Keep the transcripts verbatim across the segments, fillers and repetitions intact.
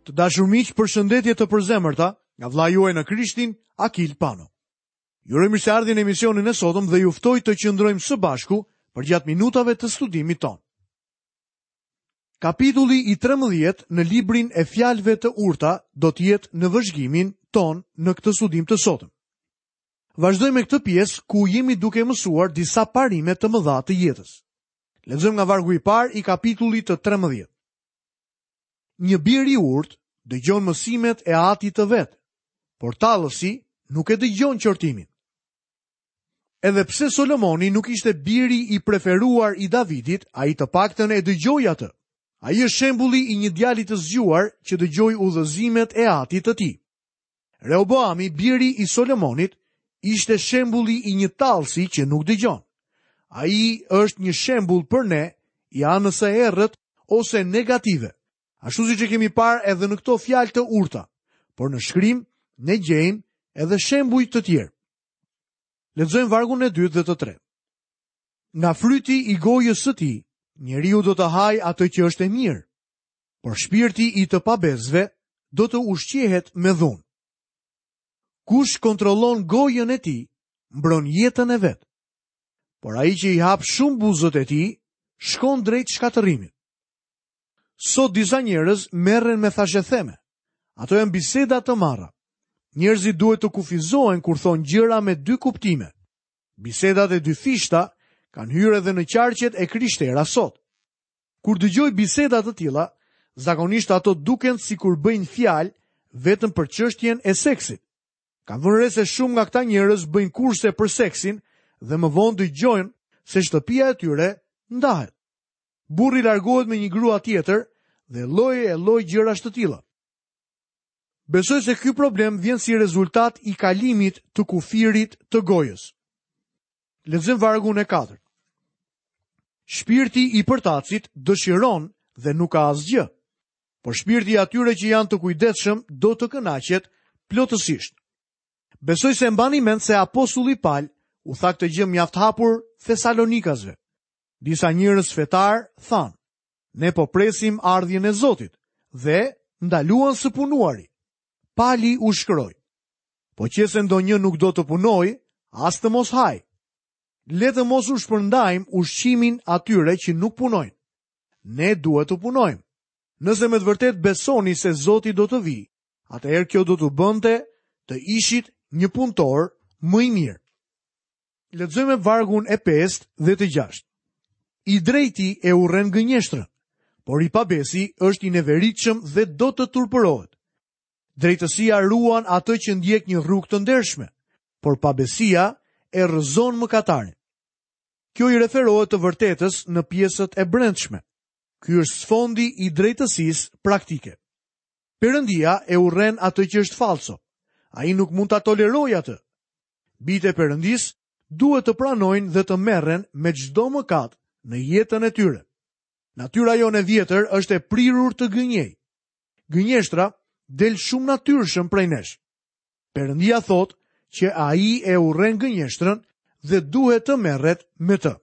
Të dashur miq, përshëndetje të përzemërta nga vëllai juaj në Krishtin, Akil Pano. Ju uroj mirëseardhjen në emisionin e sotëm dhe ju ftoj të qëndrojmë së bashku përgjatë minutave të studimit tonë. Kapitulli i trembëdhjetë në librin e Fjalëve të Urta do të jetë në vëzhgimin tonë në këtë studim të sotëm. Vazhdojmë me këtë pjesë ku jemi duke mësuar disa parime të mëdha të jetës. Lexojmë nga vargu i parë i kapitullit të trembëdhjetë. Një bir i urtë dëgjon mësimet e atit të vet, por tallësi nuk e dëgjon qortimin. Edhe pse Solomoni nuk ishte biri i preferuar i Davidit, ai të paktën e dëgjoi atë. Ai është shembulli i një djali të zgjuar që dëgjoi udhëzimet e atit të tij. Rehoboami, biri i Solomonit, ishte shembulli i një tallësi që nuk dëgjon. Ai është një shembull për ne i anës së errët ose negative. Ashtu siç e kemi parë edhe në këto fjalë të urta, por në shkrim ne gjejmë edhe shembuj të tjerë. Lexojmë vargun e dytë dhe të tretë. Nga fryti i gojës së tij, njeriu do të hajë atë që është e mirë, por shpirti i të pabesëve do të ushqehet me dhunë. Kush kontrollon gojën e tij, mbron jetën e vet. Por ai që i hap shumë buzët e tij, shkon drejt shkatërrimit. Sot disa njerëz merren me thashetheme. Ato janë biseda të marra. Njerëzit duhet të kufizohen kur thonë gjëra me dy kuptime. Bisedat e dyfishta kanë hyrë edhe në qarqet e krishtera sot. Kur dëgjoj biseda të tilla, zakonisht ato duken sikur bëjnë fjalë vetëm për çështjen e seksit. Kam vënë re se shumë nga këta njerëz bëjnë kurse për seksin dhe më vonë dëgjojnë se shtëpia e tyre ndahet. Burri largohet me një grua tjetër dhe lloj e lloj gjërash të tilla. Besoj se ky problem vjen si rezultat i kalimit të kufirit të gojës. Lexojmë vargun e katërt. Shpirti i përtacit dëshiron dhe nuk ka asgjë, por shpirti i atyre që janë të kujdesshëm do të kënaqet plotësisht. Besoj se mbani mend se apostulli Pal u tha këtë gjë mjaft hapur Thesalonikasve. Disa njerëz fetar thanë: "Ne po presim ardhjen e Zotit", dhe ndaluan së punuari. Pali u shkroi: "Po që se ndonjë nuk do të punojë, as të mos haj. Le të mos u shpërndajmë ushqimin atyre që nuk punojnë. Ne duhet të punojmë. Nëse me të vërtetë besoni se Zoti do të vijë, atëherë kjo do t'u bënte të ishit një punëtor më i mirë." Lexojmë vargun e pestë dhe të gjashtë. I drejti e urren gënjeshtrën, por i pabesi është i neveritshëm dhe do të turpërohet. Drejtësia ruan atë që ndjek një rrugë të ndershme, por pabesia e rrëzon mëkatarin. Kjo i referohet të vërtetës në pjesët e brendshme. Ky është sfondi i drejtësisë praktike. Perëndia e urren atë që është falso. Ai nuk mund ta tolerojë atë. Bijtë e Perëndisë duhet të pranojnë dhe të merren me çdo mëkat në jetën e tyre. Natyra jonë e vjetër është e prirur të gënjej. Gënjeshtra del shumë natyrshëm prej nesh. Perëndia thotë që ai e urren gënjeshtrën dhe duhet të merret me të.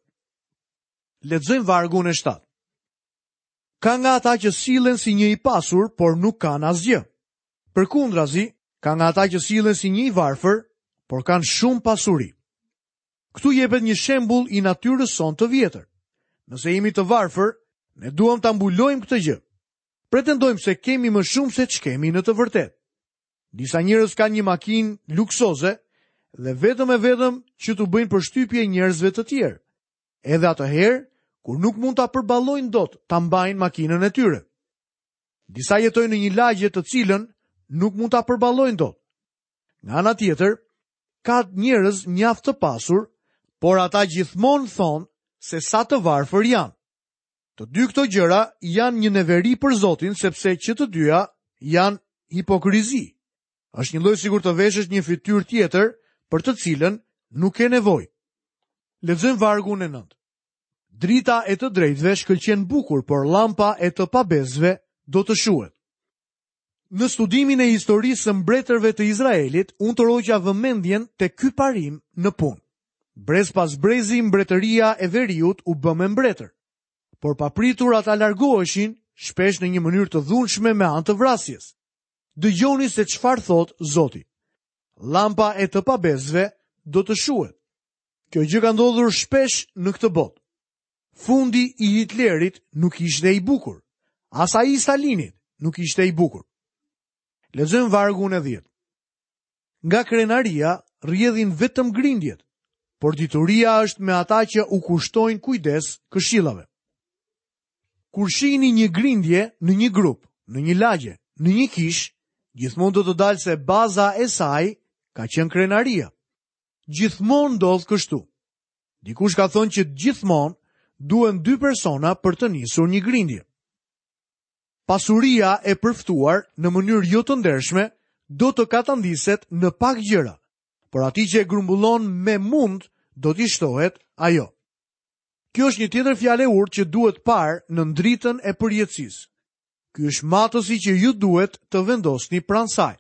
Lexojmë vargun e shtatë. Ka nga ata që sillen si një i pasur, por nuk kanë asgjë. Përkundrazi, ka nga ata që sillen si një i varfër, por kanë shumë pasuri. Këtu jepet një shembull i natyrës sonë të vjetër. Nëse jemi të varfër, ne duam ta mbulojmë këtë gjë. Pretendojmë se kemi më shumë se ç'kemi në të vërtetë. Disa njerëz kanë një makinë luksoze dhe vetëm e vetëm që t'u bëjnë përshtypje njerëzve të tjerë. Edhe atëherë, kur nuk mund ta përballojnë dot ta mbajnë makinën e tyre. Disa jetojnë në një lagje të cilën nuk mund ta përballojnë dot. Nga ana tjetër, ka njerëz mjaft të pasur, por ata gjithmonë thonë se sa të varfër janë. Të dy këto gjëra janë një neveri për Zotin, sepse që të dyja janë hipokrizi. Është një lloj sikur të veshësh një fytyrë tjetër për të cilën nuk ke nevojë. Lexojmë vargun e nëntë. Drita e të drejtëve shkëlqen bukur, por lampa e të pabesëve do të shuhet. Në studimin e historisë së mbretërve të Izraelit, unë tërhoqa vëmendjen te ky parim në punë. Brez pas brezi mbretëria e veriut u bë me mbretër, por papritur ata largoheshin shpesh në një mënyrë të dhunshme me anë të vrasjes. Dëgjoni se çfarë thotë Zoti. Lampa e të pabesëve do të shuhet. Kjo gjë ka ndodhur shpesh në këtë botë. Fundi i Hitlerit nuk ishte i bukur. As ai i Stalinit nuk ishte i bukur. Lexojmë vargun e dhjetë. Nga krenaria rrjedhin vetëm grindjet, por dituria është me ata që u kushtojnë kujdes këshillave. Kur shihni një grindje në një grup, në një lagje, në një kish, gjithmonë do të dalë se baza e saj ka qenë krenaria. Gjithmonë ndodh kështu. Dikush ka thënë që gjithmonë duhen dy persona për të nisur një grindje. Pasuria e përftuar në mënyrë jo të ndershme do të katandiset në pak gjëra, por atij që e grumbullon me mund do t'i shtohet ajo. Kjo është një tjetër fjalë e urtë që duhet parë në ndritën e përjetësisë. Ky është matësi që ju duhet të vendosni pranë saj.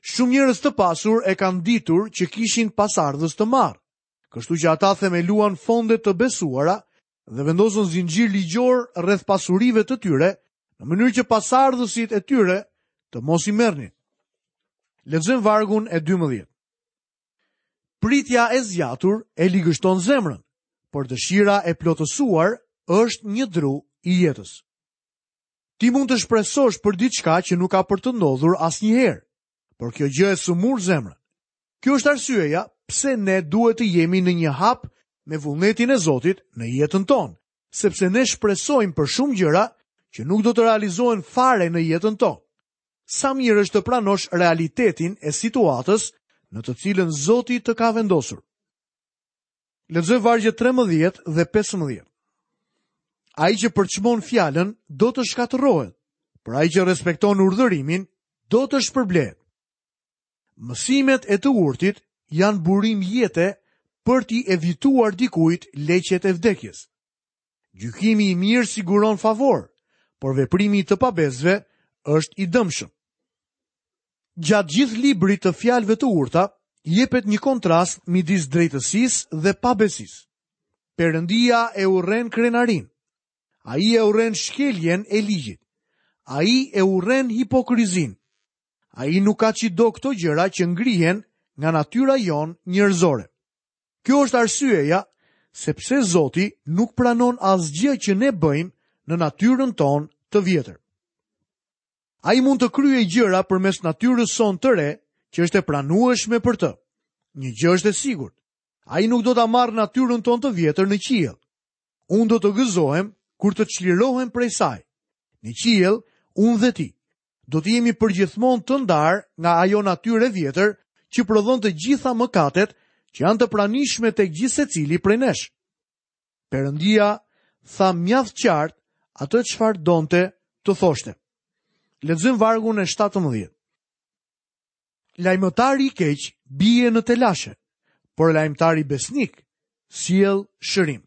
Shumë njerëz të pasur e kanë ditur që kishin pasardhës të marrë, kështu që ata themeluan fonde të besuara dhe vendosën zinxhir ligjor rreth pasurive të tyre, në mënyrë që pasardhësit e tyre të mos i merrnin. Lexojmë vargun e dymbëdhjetë. Pritja e zgjatur e ligështon zemrën, por dëshira e plotësuar është një dru i jetës. Ti mund të shpresosh për diçka që nuk ka për të ndodhur asnjëherë, por kjo gjë e sëmur zemrën. Kjo është arsyeja pse ne duhet të jemi në një hap me vullnetin e Zotit në jetën tonë, sepse ne shpresojmë për shumë gjëra që nuk do të realizohen fare në jetën tonë. Sa mirë është të pranosh realitetin e situatës në të cilën Zoti të ka vendosur. Lexoj vargjet trembëdhjetë dhe pesëmbëdhjetë. Ai që përçmon fjalën do të shkatërrohet, por ai që respekton urdhërimin do të shpërblehet. Mësimet e të urtit janë burim jete për t'i evituar dikujt leqet e vdekjes. Gjykimi i mirë siguron favor, por veprimi i të pabesëve është i dëmshëm. Gjatë gjithë librit të fjalëve të urta, jepet një kontrast midis drejtësisë dhe pabesisë. Perëndia e urren krenarin. Ai e urren shkeljen e ligjit. Ai e urren hipokrizinë. Ai nuk ka çdo këto gjëra që ngrihen nga natyra jonë njerëzore. Kjo është arsyeja sepse Zoti nuk pranon asgjë që ne bëjmë në natyrën tonë të vjetër. Ai mund të kryejë gjëra përmes natyrës sonë të re, që është e pranueshme për të. Një gjë është e sigurt. Ai nuk do ta marrë natyrën tonë të vjetër në qiell. Unë do të gëzohem kur të çlirohem prej saj. Në qiell, unë dhe ti do të jemi përgjithmonë të ndarë nga ajo natyrë e vjetër që prodhon të gjitha mëkatet që janë të pranishme tek gjithsecili prej nesh. Perëndia tha mjaft qartë atë çfarë donte të thoshte. Lexojmë vargun e shtatëmbëdhjetë. Lajmëtari i keq bie në telashe, por lajmëtari besnik sjell shërim.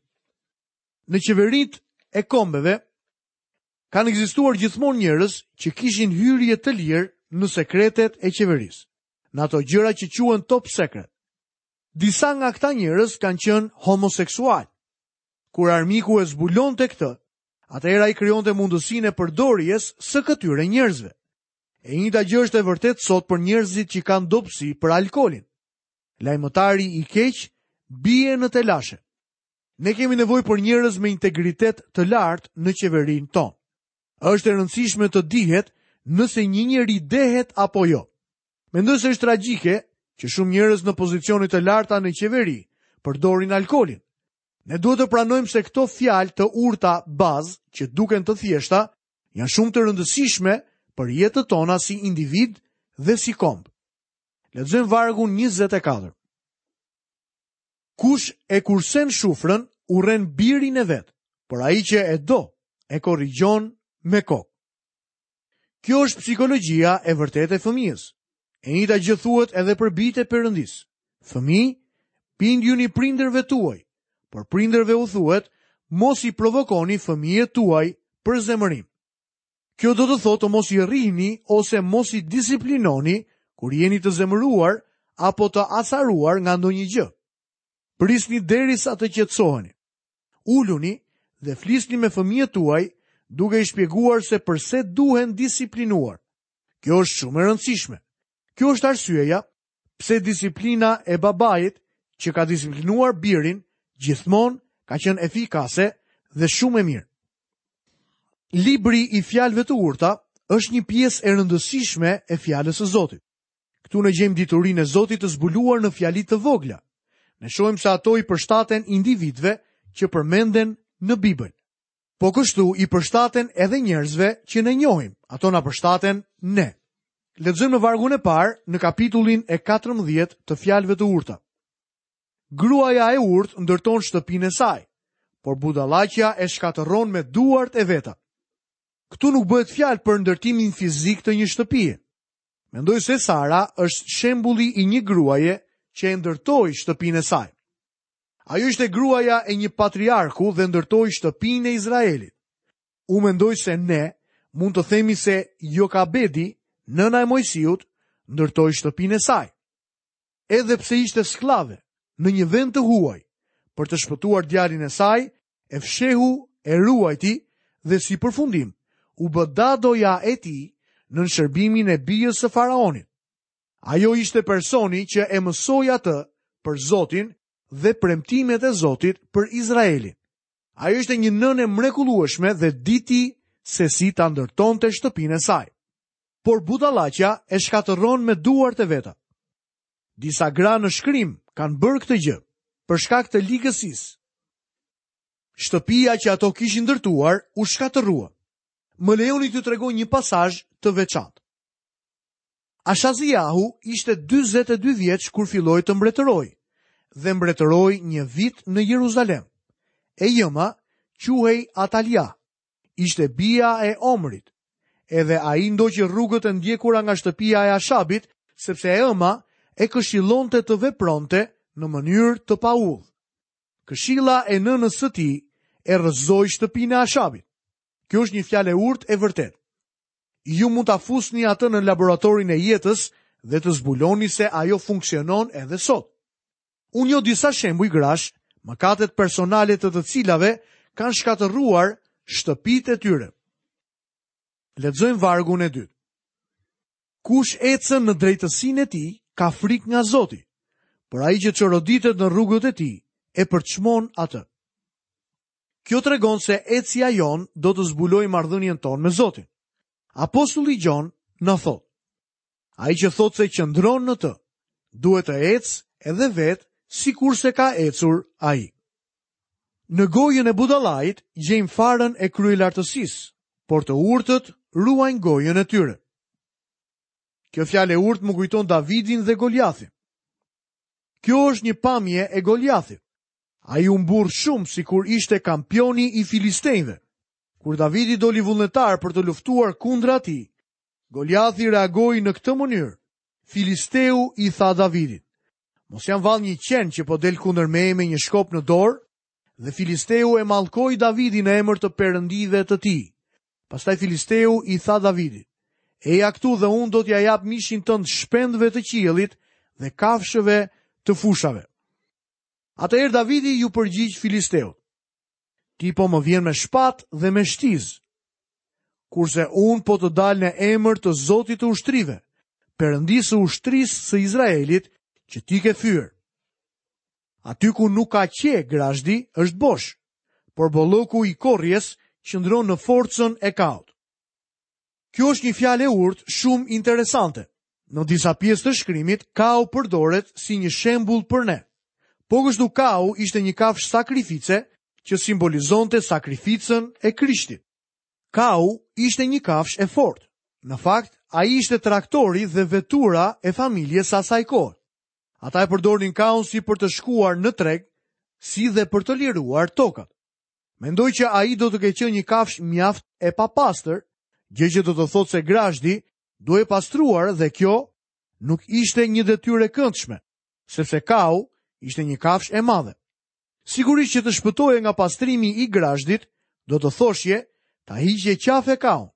Në qeveritë e kombeve kanë ekzistuar gjithmonë njerëz që kishin hyrje të lirë në sekretet e qeverisë, në ato gjëra që quhen top secret. Disa nga këta njerëz kanë qenë homoseksual. Kur armiku e zbulonte këtë, atëherë ai krijonte mundësinë e përdorjes së këtyre njerëzve. E njëjta gjë është e vërtetë sot për njerëzit që kanë dobësi për alkoolin. Lajmëtari i keq bie në telashe. Ne kemi nevojë për njerëz me integritet të lartë në qeverinë tonë. Është e rëndësishme të dihet nëse një njeri dehet apo jo. Mendoj se është tragjike që shumë njerëz në pozicione të larta në qeveri përdorin alkoolin. Ne duhet të pranojmë se këto fjalë të urta bazë, që duken të thjeshta, janë shumë të rëndësishme për jetët tona si individ dhe si komb. Lexojmë vargun njëzet e katër. Kush e kursen shufrën, urren birin e vet, por ai që e do, e korrigjon me kokë. Kjo është psikologjia e vërtetë e fëmijës. E njëjta gjë thuhet edhe për bijtë e Perëndisë. Fëmijë, bindjuni prindërve tuaj, por prindërve u thuhet, mos i provokoni fëmijët tuaj për zemërim. Kjo do të thotë të mos i rrihni ose mos i disiplinoni kur jeni të zemëruar apo të acaruar nga ndonjë gjë. Prisni derisa të qetësoheni. Uluni dhe flisni me fëmijët tuaj duke i shpjeguar se përse duhen disiplinuar. Kjo është shumë e rëndësishme. Kjo është arsyeja pse disiplina e babait që ka disiplinuar birin gjithmonë ka qenë efikase dhe shumë e mirë. Libri i fjalëve të urta është një pjesë e rëndësishme e fjalës së Zotit. Këtu ne gjejmë diturinë e Zotit të zbuluar në fjali të vogla. Ne shohim se ato i përshtaten individëve që përmenden në Bibël. Po kështu i përshtaten edhe njerëzve që ne njohim. Ato na përshtaten ne. Lexojmë në vargun e parë në kapitullin e katërmbëdhjetë të fjalëve të urta. Gruaja e urtë ndërton shtëpinë e saj, por budallaqja e shkatërron me duart e veta. Këtu nuk bëhet fjalë për ndërtimin fizik të një shtëpie. Mendoj se Sara është shembulli i një gruaje që e ndërtoi shtëpinë e saj. Ajo ishte gruaja e një patriarku dhe ndërtoi shtëpinë e Izraelit. Unë mendoj se ne mund të themi se Jokabedi, nëna e Mojsiut, ndërtoi shtëpinë e saj. Edhe pse ishte sklave në një vend të huaj, për të shpëtuar djalin e saj, e fshehu, e ruajti dhe si përfundim u bë dadoja e tij nën shërbimin e bijës së faraonit. Ajo ishte personi që e mësoi atë për Zotin dhe premtimet e Zotit për Izraelin. Ajo ishte një nënë e mrekullueshme dhe diti se si ta ndërtonte shtëpinë e saj. Por budallaqja e shkatërron me duart e veta. Disa gra në shkrim kanë bërë këtë gjë për shkak të ligësisë. Shtëpia që ato kishin ndërtuar u shkatërrua. Më lejoni t'ju tregoj një pasazh të veçantë. Ashaziahu ishte dyzet e dy vjeç kur filloi të mbretërojë dhe mbretëroi një vit në Jeruzalem. E jëma quhej Atalia, ishte bija e Omrit. Edhe ai ndoqi rrugët e ndjekura nga shtëpia e Ashabit, sepse e ëma e këshillonte të vepronte në mënyrë të paudhë. Këshilla e nënës së tij e rrëzoi shtëpinë e Ashabit. Kjo është një fjalë e urtë e vërtetë. Ju mund ta fusni atë në laboratorin e jetës dhe të zbuloni se ajo funksionon edhe sot. Unë njoh disa shembuj grash, mëkatet personale të të cilave kanë shkatërruar shtëpitë e tyre. Lexojmë vargun e dytë. Kush ecën në drejtësinë e tij, ka frikë nga Zoti, por ai që çoroditet në rrugët e tij, e përçmon atë. Kjo tregon se ecja jonë do të zbulojë marrëdhënien tonë me Zotin. Apostulli Gjon na thotë: Ai që thotë se qëndron në të, duhet të ecë edhe vetë sikurse ka ecur ai. Në gojën e budallait gjejmë farën e kryelartësisë, por të urtët ruajnë gojën e tyre. Kjo fjalë e urtë më kujton Davidin dhe Goliathin. Kjo është një pamje e Goliathit. Ai u mburr shumë sikur ishte kampioni i filistejve. Kur Davidi doli vullnetar për të luftuar kundra atij, Goliathi reagoi në këtë mënyrë. Filisteu i tha Davidit: Mos jam vallë një qen që po del kundër meje me një shkop në dorë? Dhe Filisteu e mallkoi Davidin në emër të perëndive të tij. Pastaj Filisteu i tha Davidit: Eja këtu dhe unë do t'ja jap mishin tënd shpendëve të qiellit dhe kafshëve të fushave. Atëherë Davidi ju përgjigj Filisteut: Ti po më vjen me shpat dhe me shtizë, kurse unë po të dal në emër të Zotit të ushtrive, Perëndisë së ushtrisë së Izraelit që ti ke fyer. Aty ku nuk ka qe grazhdi është bosh, por bolloku i korrjes qëndron në forcën e kaut. Kjo është një fjalë e urtë shumë interesante. Në disa pjesë të shkrimit, kau përdoret si një shembull për ne. Po kështu kau ishte një kafshë sakrifice që simbolizonte sakrificën e Krishtit. Kau ishte një kafshë e fortë. Në fakt, ai ishte traktori dhe vetura e familjes së asaj kohe. Ata e përdornin kaun si për të shkuar në treg, si dhe për të liruar tokat. Mendoj që ai do të ketë qenë një kafshë mjaft e papastër, gjë që do të thotë se grazhdi duhej pastruar dhe kjo nuk ishte një detyrë e këndshme, sepse kau ishte një kafshë e madhe. Sigurisht që të shpëtoje nga pastrimi i grazhdit, do të thoshje ta hiqje qafe kaun.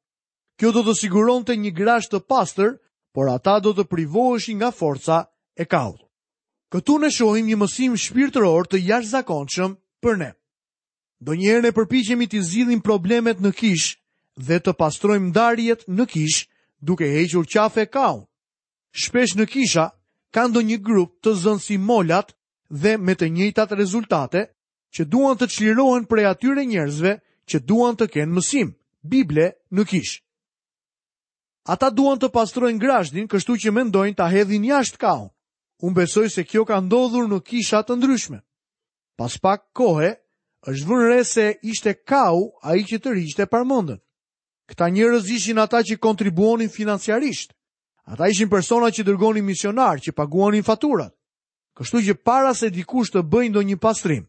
Kjo do të siguronte një grazhd të pastër, por ata do të privoheshin nga forca e kaut. Këtu ne shohim një mësim shpirtëror të jashtëzakonshëm për ne. Ndonjëherë ne përpiqemi të zgjidhim problemet në kishë dhe të pastrojmë ndarjet në kishë duke hequr qafe kaun. Shpesh në kisha ka ndonjë grup të zënë si molat dhe me të njëjtat rezultate që duan të çlirohen prej atyre njerëzve që duan të kenë mësim Bible në kishë. Ata duan të pastrojnë grazhdin, kështu që mendojnë ta hedhin jashtë kaun. Unë besoj se kjo ka ndodhur në kisha të ndryshme. Pas pak kohe, është vënë re se ishte kau ai që tërhiqte parmendën. Këta njerëz ishin ata që kontribuonin financiarisht. Ata ishin persona që dërgonin misionar, që paguanin faturat. Kështu që para se dikush të bëjë ndonjë pastrim,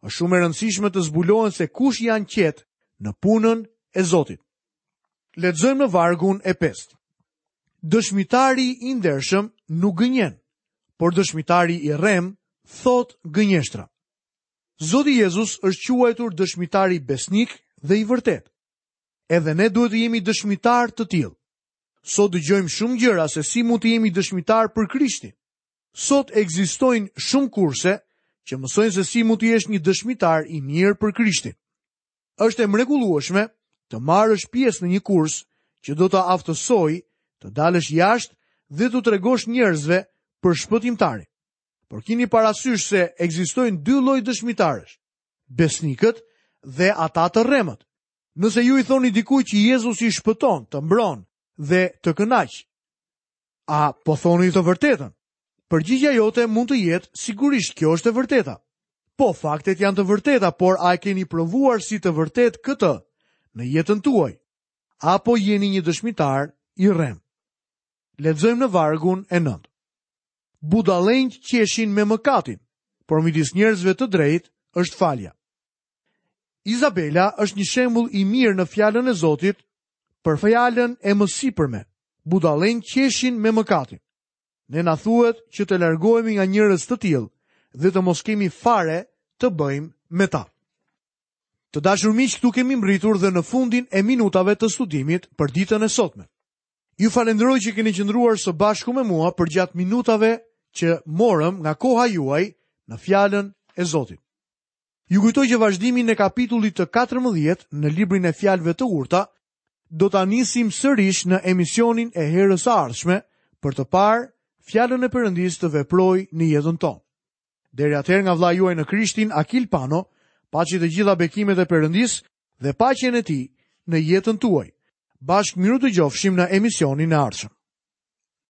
është shumë e rëndësishme të zbulohen se kush janë qetë në punën e Zotit. Lexojmë në vargun e pestë. Dëshmitari i ndershëm nuk gënjen, por dëshmitari i rrem thot gënjeshtra. Zoti Jezus është quajtur dëshmitari besnik dhe i vërtet. Edhe ne duhet të jemi dëshmitar të tillë. Sot dëgjojmë shumë gjëra se si mund të jemi dëshmitar për Krishtin. Sot ekzistojnë shumë kurse që mësojnë se si mund të jesh një dëshmitar i mirë për Krishtin. Është e mrekullueshme të marrësh pjesë në një kurs që do të aftësoj të dalësh jashtë dhe t'u tregosh njerëzve për shpëtimtarin. Por kini parasysh se ekzistojnë dy lloj dëshmitarësh, besnikët dhe ata të rremët. Nëse ju i thoni dikujt që Jezusi shpëton, të mbron dhe të kënaq, a po thoni të vërtetën? Përgjigjja jote mund të jetë sigurisht kjo është e vërteta. Po, faktet janë të vërteta, por a e keni provuar si të vërtet këtë në jetën tuaj? Apo jeni një dëshmitar i rrem? Lexojmë në vargun e nëntë. Budallenjt qeshin me mëkatin, por midis njerëzve të drejtë është falja. Izabela është një shembull i mirë në fjalën e Zotit për fjalën e mësipërme. Budallenjt qeshin me mëkatin. Ne na thuhet që të largohemi nga njerëz të tillë dhe të mos kemi fare të bëjmë me ta. Të dashur miq, këtu kemi mbritur dhe në fundin e minutave të studimit për ditën e sotme. Ju falenderoj që keni qëndruar së bashku me mua përgjatë minutave që morëm nga koha juaj në fjalën e Zotit. Ju kujtoj që vazhdimin e kapitullit të katërmbëdhjetë në librin e fjalëve të urta do ta nisim sërish në emisionin e herës së ardhshme për të parë fjalën e Perëndisë të veprojë në jetën tonë. Deri atëherë nga vëllai juaj në Krishtin, Akil Pano, paçi të gjitha bekimet e Perëndisë dhe paqen e tij në jetën tuaj. Bashkë miru dëgjofshim në emisionin e ardhshëm.